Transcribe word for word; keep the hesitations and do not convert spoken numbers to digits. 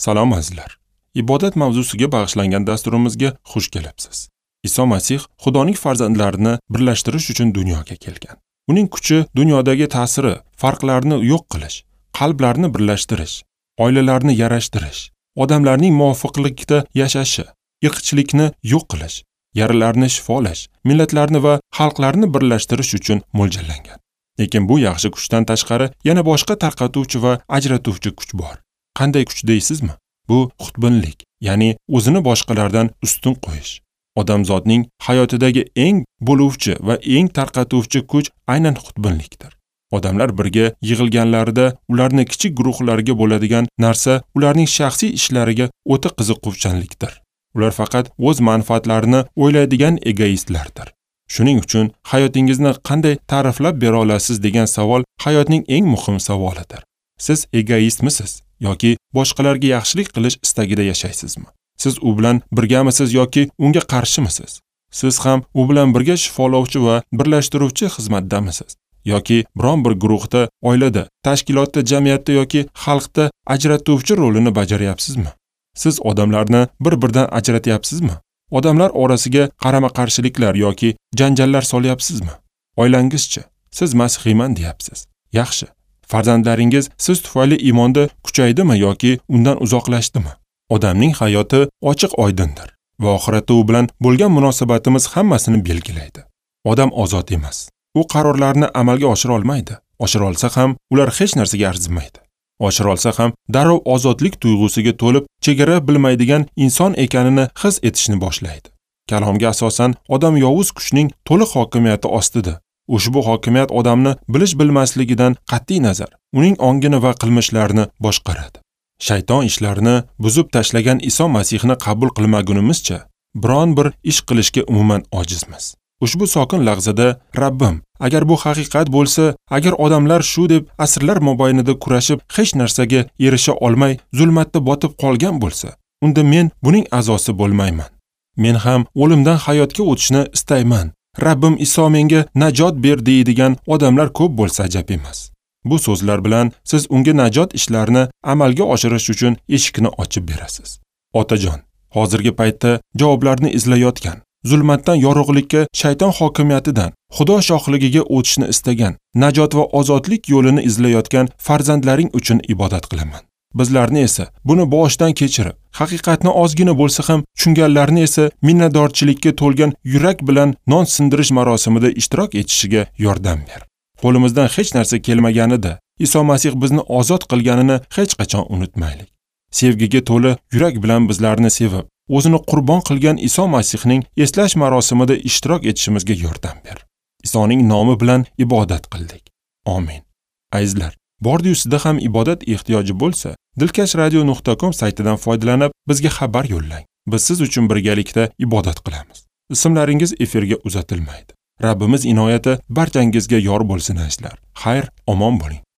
Salom azizlar. Ibodat mavzusiga bag'ishlangan dasturimizga xush kelibsiz. Iso Masih Xudoning farzandlarini birlashtirish uchun dunyoga kelgan. Uning kuchi dunyodagi ta'siri, farqlarni yo'q qilish, qalblarni birlashtirish, oilalarni yarashtirish, odamlarning muvofiqlikda yashashi, irqchilikni yo'q qilish, yaralarni shifolash, millatlarni va xalqlarni birlashtirish uchun mo'ljallangan. Lekin bu yaxshi kuchdan tashqari yana boshqa tarqatuvchi va ajratuvchi kuch bor. Qanday kuch deysizmi? Bu xudbinlik, ya'ni o'zini boshqalardan ustun qo'yish. Odamzodning hayotidagi eng bo'luvchi va eng tarqatuvchi kuch aynan xudbinlikdir. Odamlar birga yig'ilganlarida ularni kichik guruhlarga bo'ladigan narsa ularning shaxsiy ishlariga o'ta qiziquvchanlikdir. Ular faqat o'z manfaatlarini o'ylaydigan egoistlardir. Shuning uchun hayotingizni qanday ta'riflab bera olasiz degan savol hayotning eng muhim savolidir. Siz egoistmisiz yoki boshqalarga yaxshilik qilish istagida yashaysizmi? Siz u bilan birgamisiz yoki unga qarshimisiz? Siz ham u bilan birga shifolovchi va birlashtiruvchi xizmatdamisiz? Yoki biron bir guruhda, oilada, tashkilotda, jamiyatda yoki xalqda ajratuvchi rolini bajaryapsizmi? Siz odamlarni bir-biridan ajratyapsizmi? Odamlar orasiga qarama-qarshiliklar yoki janjallar solyapsizmi? Oilangizchi, siz masihiyman deyapsiz. Yaxshi. Farzandlaringiz siz tufayli iymonda kuchaydimi yoki undan uzoqlashdimi? Odamning hayoti ochiq oydindir va oxiratda u bilan bo'lgan munosabatimiz hammasini belgilaydi. Odam ozod emas. U qarorlarni amalga oshira olmaydi. Oshira olsa ham ular hech narsaga arzimaydi. Oshira olsa ham darrov ozodlik tuyg'usiga to'lib, chegara bilmaydigan inson ekanini his etishni boshlaydi. Kalomga asosan odam yovuz kuchning to'liq hokimiyati ostida. Ushbu hokimiyat odamni bilish bilmasligidan qat'iy nazar, uning ongini va qilmishlarini boshqaradi. Shayton ishlarini buzib tashlagan Iso Masihni qabul qilmagunimizcha biron bir ish qilishga umuman ojizmiz. Ushbu sokin lahzada Rabbim, agar bu haqiqat bo'lsa, agar odamlar shu deb asrlar mobaynida kurashib hech narsaga erisha olmay zulmatda botib qolgan bo'lsa, unda men buning a'zosi bo'lmayman. Men ham o'limdan hayotga o'tishni istayman. Rabbim Iso menga najot ber deydigan odamlar ko'p bo'lsa ajab emas. Bu so'zlar bilan siz unga najot ishlarini amalga oshirish uchun eshikni ochib berasiz. Otajon, hozirgi paytda javoblarni izlayotgan, zulmatdan yorug'likka, shayton hokimiyatidan Xudo shohligiga o'tishni istagan, najot va ozodlik yo'lini izlayotgan farzandlaring uchun ibodat qilaman. Bizlarni esa buni boshdan kechirib, haqiqatni ozgina bo'lsa ham tushunganlarni esa minnatdorchilikka to'lgan yurak bilan non sindirish marosimida ishtirok etishiga yordam ber. Qo'limizdan hech narsa kelmaganida Iso Masih bizni ozod qilganini hech qachon unutmaylik. Sevgiga to'la yurak bilan bizlarni sevib, o'zini qurbon qilgan Iso Masihning eslash marosimida ishtirok etishimizga yordam ber. Isoning nomi bilan ibodat qildik. Amin. Azizlar, bordi-yu sizda ham ibodat ehtiyoji bo'lsa, dilkash radio nuqta com saytidan foydalanib bizga xabar yo'llang. Biz siz uchun birgalikda ibodat qilamiz. Ismlaringiz efirga uzatilmaydi. Rabbimiz inoyati barchangizga yor bo'lsin azizlar. Xayr, omon bo'ling.